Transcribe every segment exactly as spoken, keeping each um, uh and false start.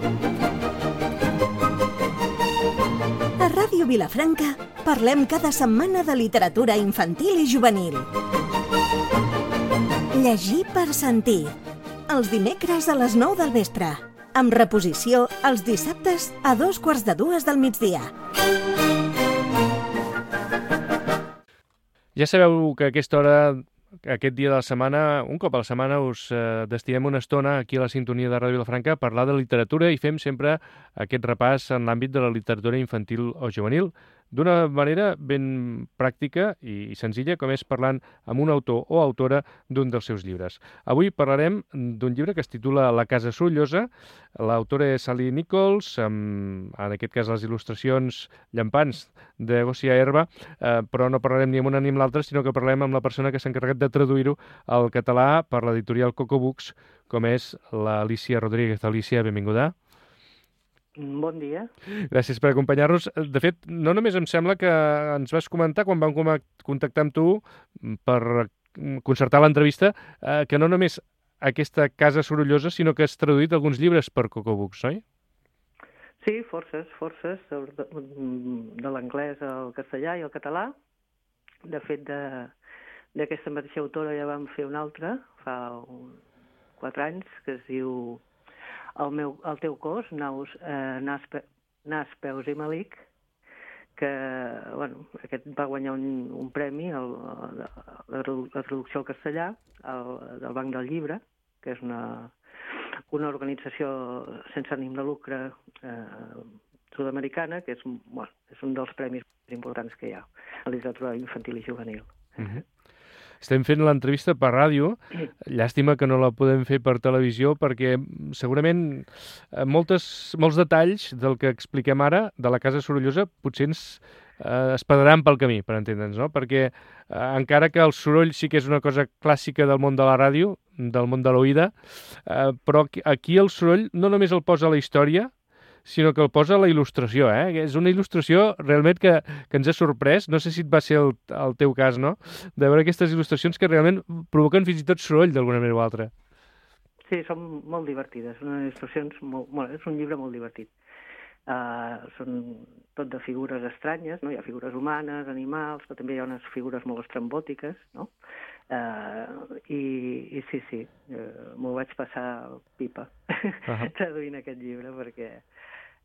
A Ràdio Vilafranca parlem cada setmana de literatura infantil i juvenil. Llegir per sentir. Els dimecres a les nou del vespre. Amb reposició els dissabtes a dos quarts de dues del migdia. Ja sabeu que a aquesta hora, aquest dia de la setmana, un cop a la setmana, us eh, destinem una estona aquí a la sintonia de Ràdio Vilafranca a parlar de literatura i fem sempre aquest repàs en l'àmbit de la literatura infantil o juvenil d'una manera ben pràctica i senzilla, com és parlant amb un autor o autora d'un dels seus llibres. Avui parlarem d'un llibre que es titula La casa sorollosa. L'autora és Sally Nichols, amb, en aquest cas, les il·lustracions llampants de Gosia Herba, eh, però no parlarem ni amb una ni amb l'altra, sinó que parlarem amb la persona que s'ha encarregat de traduir-ho al català per l'editorial Coco Books, com és l'Alícia Rodríguez. Alícia, benvinguda. Bon dia. Gràcies per acompanyar-nos. De fet, no només em sembla que ens vas comentar quan vam contactar amb tu per concertar l'entrevista, eh, que no només aquesta casa sorollosa, sinó que has traduït alguns llibres per Coco Books, oi? Sí, forces, forces, de, de l'anglès al castellà i al català. De fet, d'aquesta mateixa autora ja vam fer una altra, fa un, quatre anys, que es diu El, meu, el teu cos, naus, eh, nas, pe, nas, peus i malic, que bueno, aquest va guanyar un, un premi, el, la, la, la traducció al castellà, el, del Banc del Llibre, que és una, una organització sense ànim de lucre eh, sud-americana, que és, bueno, és un dels premis més importants que hi ha a la literatura infantil i juvenil. Uh-huh. Estem fent l'entrevista per ràdio. Llàstima que no la podem fer per televisió perquè segurament moltes, molts detalls del que expliquem ara de la casa sorollosa potser ens eh, es perdran pel camí, per entendre'ns, no? Perquè eh, encara que el soroll sí que és una cosa clàssica del món de la ràdio, del món de l'oïda, eh, però aquí el soroll no només el posa la història, sinó que el posa la il·lustració, eh? És una il·lustració realment que, que ens ha sorprès. No sé si et va ser el, el teu cas, no?, de veure aquestes il·lustracions que realment provoquen fins i tot soroll d'alguna manera o altra. Sí, són molt divertides. Són il·lustracions molt, molt, és un llibre molt divertit. Uh, són tot de figures estranyes, no? Hi ha figures humanes, animals, però també hi ha unes figures molt estrambòtiques, no? Uh, i, i sí, sí, uh, m'ho vaig passar pipa uh-huh. traduint aquest llibre perquè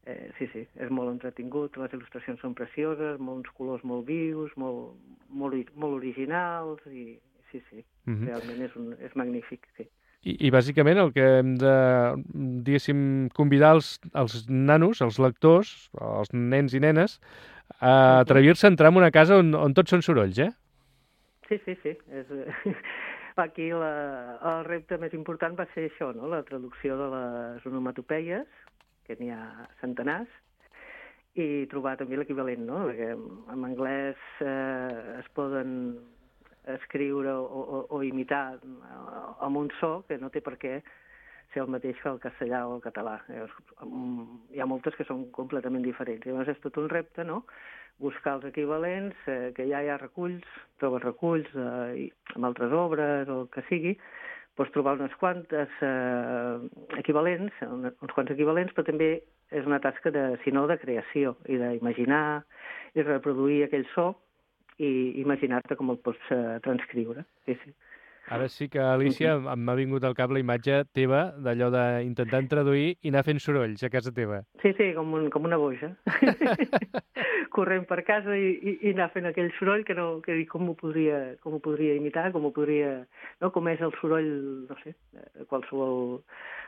Eh, sí, sí, és molt entretingut, les il·lustracions són precioses, molts colors molt vius, molt, molt, molt originals, i sí, sí, uh-huh. realment és, un, és magnífic, sí. I, I bàsicament el que hem de, diguéssim, convidar els, els nanos, els lectors, els nens i nenes, a atrevir-se a entrar en una casa on, on tots són sorolls, eh? Sí, sí, sí. És, aquí la, el repte més important va ser això, no?, la traducció de les onomatopeies, que n'hi ha centenars, i trobar també l'equivalent, no? Perquè en anglès eh, es poden escriure o, o, o imitar amb un so que no té per què ser el mateix que el castellà o el català. Hi ha moltes que són completament diferents. Llavors és tot un repte, no?, buscar els equivalents, eh, que ja hi ha reculls, trobes reculls eh, amb altres obres o el que sigui, pots trobar unes quantes eh, equivalents, uns quants equivalents, però també és una tasca de, si no, de creació i d'imaginar i reproduir aquell so i imaginar-te com el pots eh, transcriure. Sí, sí. Ara sí que, Alícia, m'ha vingut al cap la imatge teva d'allò d'intentar traduir i anar fent sorolls a casa teva. Sí, sí, com, un, com una boja. Corrent per casa i, i, i anar fent aquell soroll que, no, que com ho podria, com ho podria imitar, com ho podria, no, com és el soroll, no sé, de qualsevol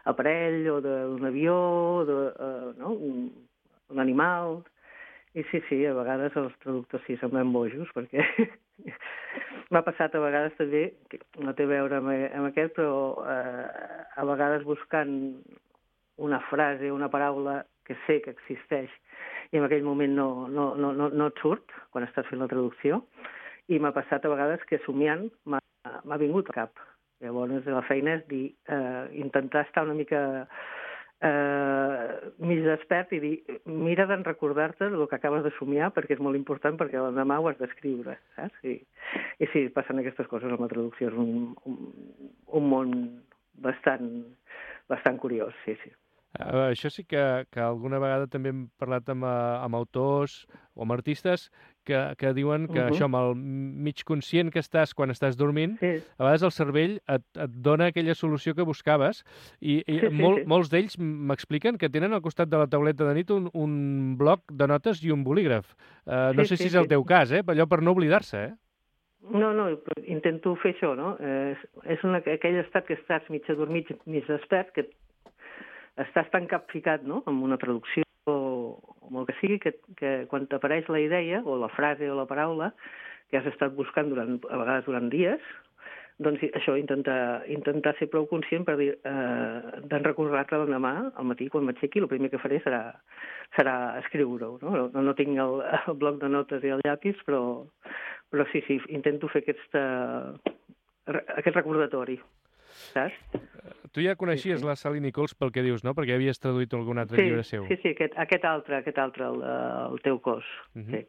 aparell o d'un avió, de, uh, no, un, un animal. I sí, sí, a vegades els traductors sí semblen bojos, perquè m'ha passat a vegades també, que no té a veure amb, amb aquest, però eh, a vegades buscant una frase, una paraula que sé que existeix i en aquell moment no, no, no, no, no et surt quan estàs fent la traducció, i m'ha passat a vegades que somiant m'ha vingut al cap. Llavors la feina és dir, eh, intentar estar una mica eh, mig despert i dir, mira d'en recordar-te el que acabes de somiar perquè és molt important perquè l'endemà ho has d'escriure, saps? I, i sí, passen aquestes coses amb la traducció, és un, un, un món bastant, bastant curiós, sí, sí. Uh, això sí que, que alguna vegada també hem parlat amb, uh, amb autors o amb artistes que, que diuen que Uh -huh. això, amb el mig conscient que estàs quan estàs dormint, Sí, a vegades el cervell et, et dona aquella solució que buscaves i, i sí, sí, mol, sí. molts d'ells m'expliquen que tenen al costat de la tauleta de nit un, un bloc de notes i un bolígraf. Uh, no Sí, sé sí, si és el sí. teu cas, eh? Allò per no oblidar-se, eh? No, no, intento fer això, no? Eh, és una, aquell estat que estàs mig adormit, mig despert, que estàs tan capficat, no?, amb una traducció o, o amb el que sigui, que, que quan t'apareix la idea, o la frase o la paraula, que has estat buscant durant, a vegades durant dies, doncs això, intentar, intentar ser prou conscient per dir, eh, d'en recordar-te l'endemà, al matí, quan m'aixequi, el primer que faré serà, serà escriure-ho, no? No, no tinc el, el bloc de notes i el llapis, però, però sí, sí, intento fer aquest, uh, aquest recordatori, saps? Tu ja coneixies Sí, sí. la Sally Nichols pel que dius, no? Perquè havies traduït algun altre Sí, llibre seu. sí, sí, aquest, aquest altre, aquest altre, el, el teu cos, Uh -huh. sí.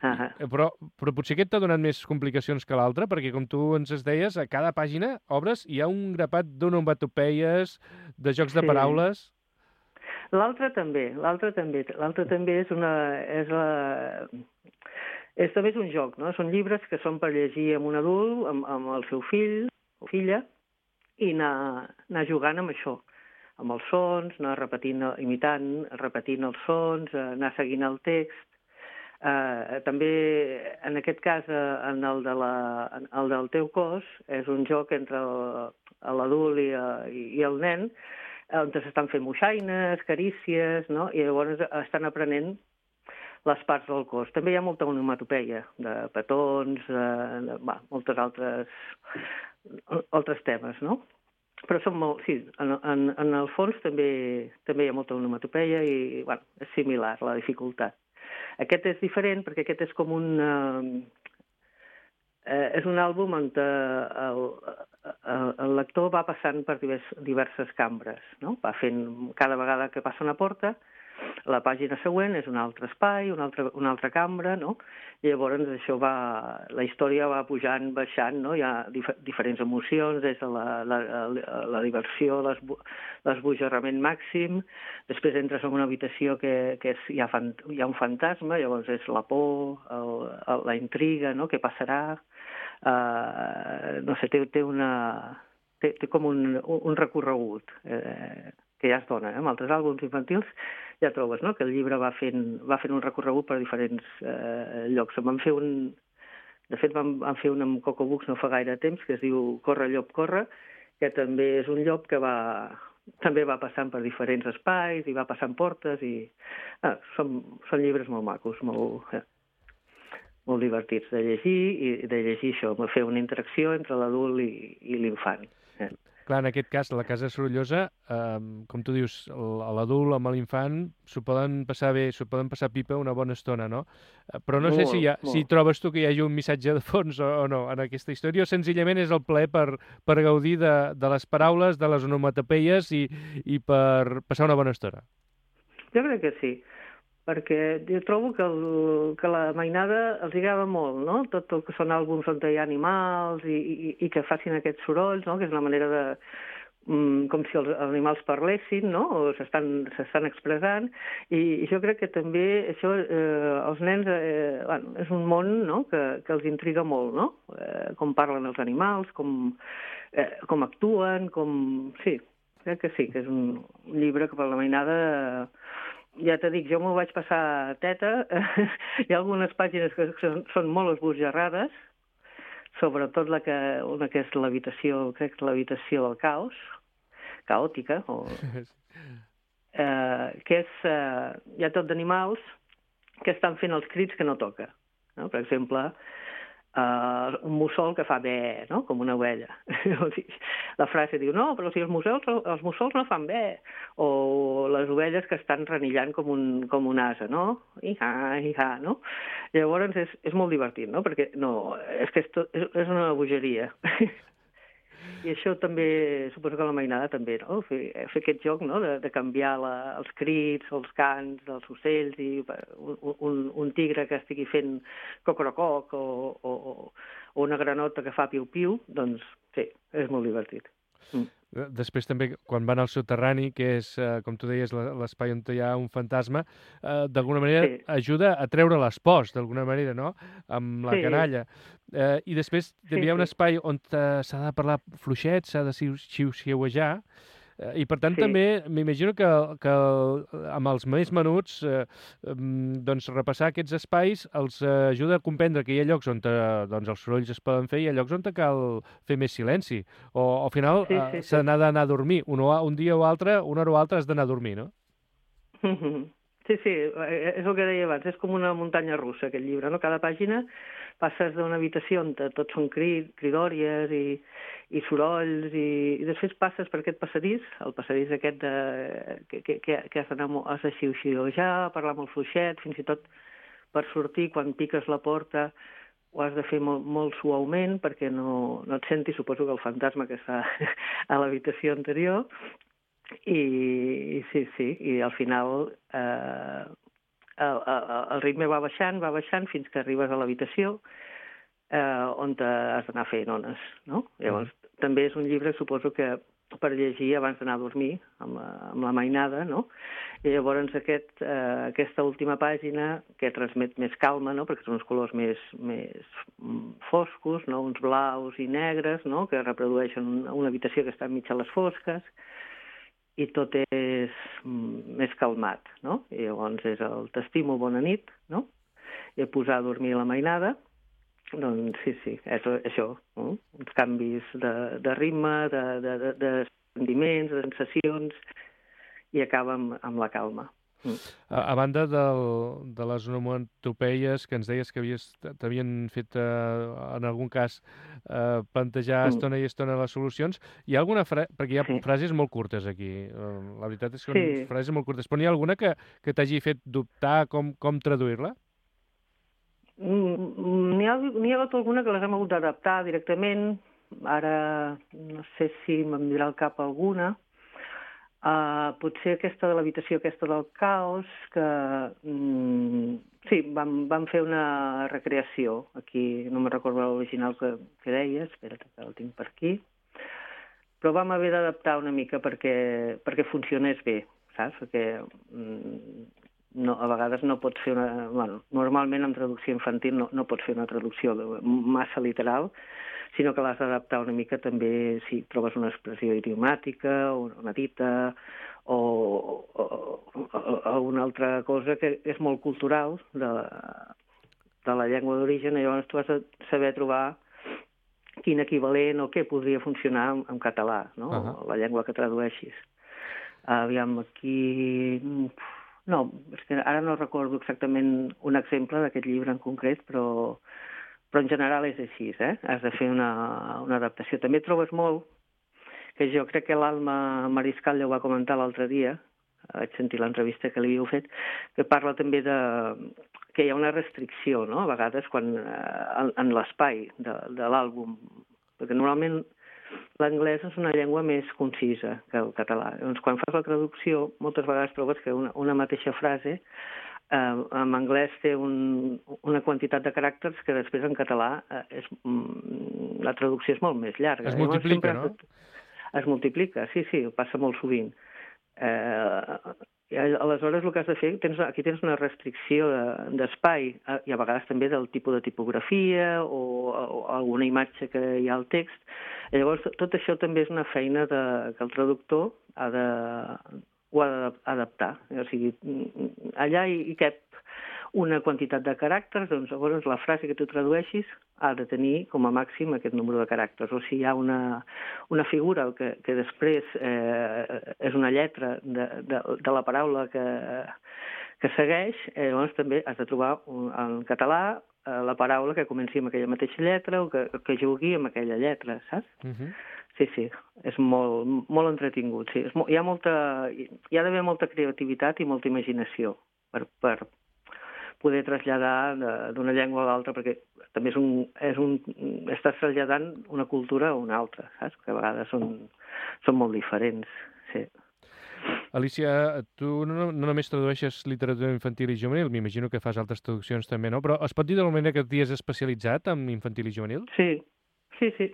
Uh -huh. I, però, però potser aquest t'ha donat més complicacions que l'altre, perquè com tu ens es deies, a cada pàgina obres hi ha un grapat d'onomatopeies, de jocs de Sí. paraules... L'altre també, l'altre també, l'altre també és una... És la... És també és un joc, no? Són llibres que són per llegir amb un adult, amb, amb el seu fill o filla, i anar, anar jugant amb això, amb els sons, anar repetint, imitant, repetint els sons, anar seguint el text. Uh, també, en aquest cas, uh, en el, de la, en el del teu cos, és un joc entre l'adult i, i, i el nen, on s'estan fent moixaines, carícies, no? I llavors estan aprenent les parts del cos. També hi ha molta onomatopeia, de petons, de, de va, moltes altres, altres temes, no? Però són molt... Sí, en, en, en el fons també, també hi ha molta onomatopeia i, bueno, és similar la dificultat. Aquest és diferent perquè aquest és com un... Eh, eh, és un àlbum on el, el, el lector va passant per divers, diverses cambres, no? Va fent, cada vegada que passa una porta, la pàgina següent és un altre espai, una altra, una altra cambra, no? I llavors això va... La història va pujant, baixant, no? Hi ha dif diferents emocions, des de la, la, la, la diversió, l'esbojarrament màxim, després entres en una habitació que, que és, hi, ha fan, hi ha un fantasma, llavors és la por, el, el, la intriga, no? Què passarà? Uh, no sé, té, té una... Té, té com un, un recorregut eh, que ja es dona, eh? Amb altres àlbums infantils ja trobes, no?, que el llibre va fent, va fent un recorregut per diferents eh, llocs. Vam fer un... De fet, vam, vam fer un amb Coco Books no fa gaire temps, que es diu Corre, llop, corre, que també és un llop que va... també va passant per diferents espais i va passant portes i... Ah, són, són llibres molt macos, molt... Eh, molt divertits de llegir i de llegir això, fer una interacció entre l'adult i, i l'infant. Eh. Clar, en aquest cas, la Casa Sorollosa, eh, com tu dius, l'adult amb l'infant s'ho poden passar bé, s'ho poden passar pipa una bona estona, no? Però no molt, sé si, hi ha, si trobes tu que hi hagi un missatge de fons o, o no en aquesta història, o senzillament és el plaer per, per gaudir de, de les paraules, de les onomatopeies i, i per passar una bona estona. Jo crec que sí, perquè jo trobo que, el, que la mainada els agrada molt, no? Tot el que són àlbums on hi ha animals i, i, i que facin aquests sorolls, no? Que és una manera de... Mm, com si els animals parlessin, no? O s'estan expressant, i, i jo crec que també això, eh, els nens, eh, bueno, és un món, no?, que, que els intriga molt, no? Eh, com parlen els animals, com, eh, com actuen, com... Sí, crec que sí, que és un llibre que per la mainada... Eh, ja t'he dit, jo m'ho vaig passar teta. Hi ha algunes pàgines que són, són molt esbojarrades, sobretot la que, una que és l'habitació, crec que l'habitació del caos, caòtica, o, eh, que és, eh, hi ha tot d'animals que estan fent els crits que no toca. No? Per exemple, Uh, un mussol que fa bé, no?, com una ovella. La frase diu, no, però si els mussols, els mussols no fan bé. O les ovelles que estan renillant com un, com un ase, no? Iha, iha, no? Llavors és, és molt divertit, no?, perquè no, és que és, tot, és, és una bogeria. I això també, suposo que la mainada també, no?, fer, fer aquest joc, no?, de, de canviar la, els crits, els cants dels ocells, i un, un, un tigre que estigui fent cocorococ o, o, o una granota que fa piu-piu, doncs sí, és molt divertit. Mm. Després també, quan van al soterrani, que és, eh, com tu deies, l'espai on hi ha un fantasma, eh, d'alguna manera sí. ajuda a treure les pors, d'alguna manera, no?, amb la sí. canalla. Eh, I després també sí, hi ha un sí. espai on s'ha de parlar fluixet, s'ha de xiu-xiuejar, i per tant sí. també m'imagino que, que amb els més menuts eh, doncs repassar aquests espais els ajuda a comprendre que hi ha llocs on te, doncs els sorolls es poden fer i hi ha llocs on te cal fer més silenci, o al final sí, sí, s'ha sí. d'anar a dormir un, un dia o altre, una hora o altra has d'anar a dormir, no? Sí, sí, és el que deia abans, és com una muntanya russa aquest llibre, no? Cada pàgina passes d'una habitació on tot són crid, cridòries i, i sorolls, i, i després passes per aquest passadís, el passadís aquest de, que, que, que has d'anar has de xiu-xiuejar, parlar molt fluixet, fins i tot per sortir quan piques la porta ho has de fer molt, molt suaument perquè no, no et sentis, suposo que el fantasma que està a l'habitació anterior, i, i sí, sí, i al final eh, el, el, el ritme va baixant, va baixant fins que arribes a l'habitació eh, on has d'anar fent ones, no? Llavors, mm. també és un llibre, suposo que per llegir abans d'anar a dormir, amb la, amb la mainada, no? I llavors aquest, eh, aquesta última pàgina que transmet més calma, no? Perquè són uns colors més, més foscos, no? Uns blaus i negres, no? Que reprodueixen una, una habitació que està enmig a les fosques, i tot és més calmat, no? I llavors és el t'estimo, bona nit, no? I a posar a dormir la mainada, doncs sí, sí, és això, no? Uns canvis de, de ritme, de, de, de, de sentiments, de sensacions, i acaba amb, amb la calma. Mm. A, a banda del, de les onomatopeies que ens deies que havies, t'havien fet, eh, en algun cas, eh, plantejar mm. estona i estona les solucions, hi ha alguna frase, perquè hi ha sí. frases molt curtes aquí, eh, la veritat és que són sí. frases molt curtes, però n'hi ha alguna que, que t'hagi fet dubtar com, com traduir-la? Mm, n'hi ha, n'hi ha hagut alguna que les hem hagut d'adaptar directament, ara no sé si me'n dirà al cap alguna. Uh, potser aquesta de l'habitació, aquesta del caos, que mm, sí, vam, vam fer una recreació aquí, no me'n recordo l'original que, que deia, espera't que el tinc per aquí, però vam haver d'adaptar una mica perquè, perquè funcionés bé, saps? Perquè mm, no, a vegades no pots fer una... Bueno, normalment en traducció infantil no, no pots fer una traducció massa literal, sinó que l'has d'adaptar una mica també si trobes una expressió idiomàtica o una dita o, o, o, o una altra cosa que és molt cultural de, de la llengua d'origen, i llavors tu has de saber trobar quin equivalent o què podria funcionar en, en català, no? Uh-huh. La llengua que tradueixis. Aviam, aquí... No, és que ara no recordo exactament un exemple d'aquest llibre en concret, però... però en general és així, eh? Has de fer una, una adaptació. També trobes molt, que jo crec que l'Alma Mariscal ja ho va comentar l'altre dia, vaig sentir l'entrevista que li havíeu fet, que parla també de que hi ha una restricció, no?, a vegades, quan, en, en l'espai de, de l'àlbum, perquè normalment l'anglès és una llengua més concisa que el català. Doncs quan fas la traducció, moltes vegades trobes que una, una mateixa frase Uh, en anglès té un, una quantitat de caràcters que després en català uh, és, mm, la traducció és molt més llarga. Es multiplica, no? Es multiplica, sí, sí, passa molt sovint. Uh, aleshores el que has de fer, tens, aquí tens una restricció d'espai de, i a vegades també del tipus de tipografia o, o alguna imatge que hi ha al text. I llavors tot això també és una feina de, que el traductor ha de... ho ha d'adaptar. O sigui, allà hi, hi cap una quantitat de caràcters, doncs llavors la frase que tu tradueixis ha de tenir com a màxim aquest número de caràcters. O si hi ha una, una figura que, que després eh, és una lletra de, de, de la paraula que, que segueix, eh, llavors també has de trobar un, en català eh, la paraula que comenci amb aquella mateixa lletra o que, que jugui amb aquella lletra, saps? Uh-huh. Sí, sí, és molt, molt entretingut. Sí. És molt, hi ha molta, hi ha d'haver molta creativitat i molta imaginació per, per poder traslladar d'una llengua a l'altra, perquè també és un, és un, estàs traslladant una cultura a una altra, saps? Que a vegades són, són molt diferents. Sí. Alicia, tu no, no només tradueixes literatura infantil i juvenil, m'imagino que fas altres traduccions també, no? Però es pot dir d'alguna manera que t'hi has especialitzat en infantil i juvenil? Sí, sí, sí.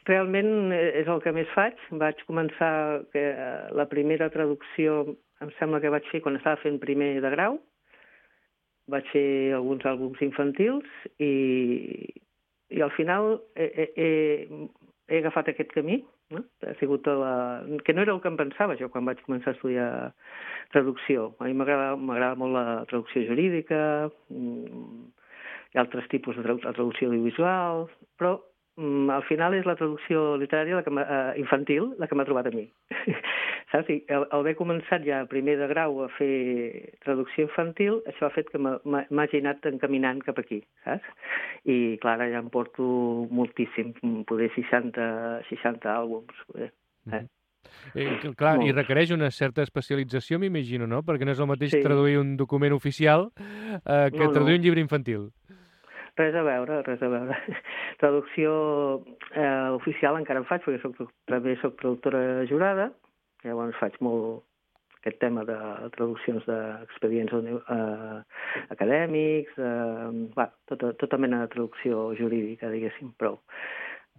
realment és el que més faig. Vaig començar, que la primera traducció em sembla que vaig fer quan estava fent primer de grau. Vaig fer alguns àlbums infantils i, i al final he, he, he agafat aquest camí, no? Ha sigut la... que no era el que em pensava jo quan vaig començar a estudiar traducció. A mi m'agrada molt la traducció jurídica, hi ha altres tipus de traducció audiovisual, però al final és la traducció literària la que uh, infantil la que m'ha trobat a mi. Saps? I al haver començat ja primer de grau a fer traducció infantil, això ha fet que m'hagi anat encaminant cap aquí, saps? I, clar, ara ja em porto moltíssim, poder seixanta, seixanta àlbums. Poder, eh? Eh, clar, Molt. I requereix una certa especialització, m'imagino, no? Perquè no és el mateix sí. traduir un document oficial eh, que no, traduir no. un llibre infantil. Res a veure, res a veure. Traducció eh, oficial encara en faig, perquè soc, també soc traductora jurada, llavors faig molt aquest tema de traduccions d'expedients eh, acadèmics, eh, va, tota, tota mena de traducció jurídica, diguéssim, prou.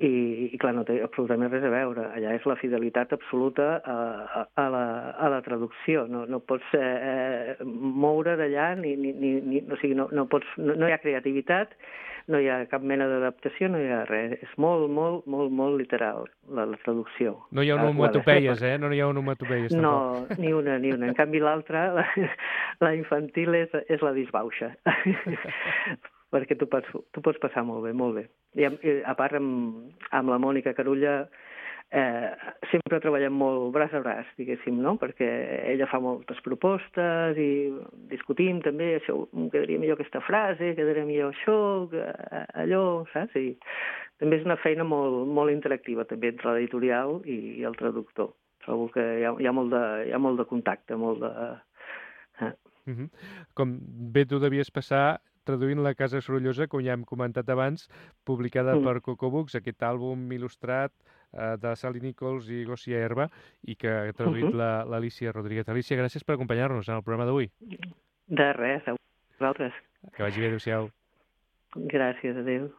I, i clar, no té absolutament res a veure. Allà és la fidelitat absoluta a, a, a, la, a la traducció. No, no pots eh, moure d'allà, ni, ni, ni, o sigui, no, no, pots, no, no hi ha creativitat, no hi ha cap mena d'adaptació, no hi ha res. És molt, molt, molt, molt literal, la, la traducció. No hi ha onomatopeies, eh? No hi ha onomatopeies, tampoc. No, ni una, ni una. En canvi, l'altra, la, la infantil, és, és la disbauxa. Perquè tu pots, tu pots passar molt bé, molt bé. I, i a part, amb, amb la Mònica Carulla eh, sempre treballem molt braç a braç, diguéssim, no? Perquè ella fa moltes propostes i discutim també, això, quedaria millor aquesta frase, quedaria millor això, allò, saps? I també és una feina molt, molt interactiva, també, entre l'editorial i, i el traductor. Trobo que hi ha, hi ha, molt, de, hi ha molt de contacte, molt de... Eh. Uh-huh. Com bé tu devies passar traduint La Casa Sorollosa, com ja hem comentat abans, publicada mm. per Coco Books, aquest àlbum il·lustrat eh, de Sally Nichols i Gosia Herba, i que ha traduït uh-huh. l'Alícia Rodríguez. Alícia, gràcies per acompanyar-nos en el programa d'avui. De res, a vosaltres. Que vagi bé, adéu-siau. Gràcies, adéu.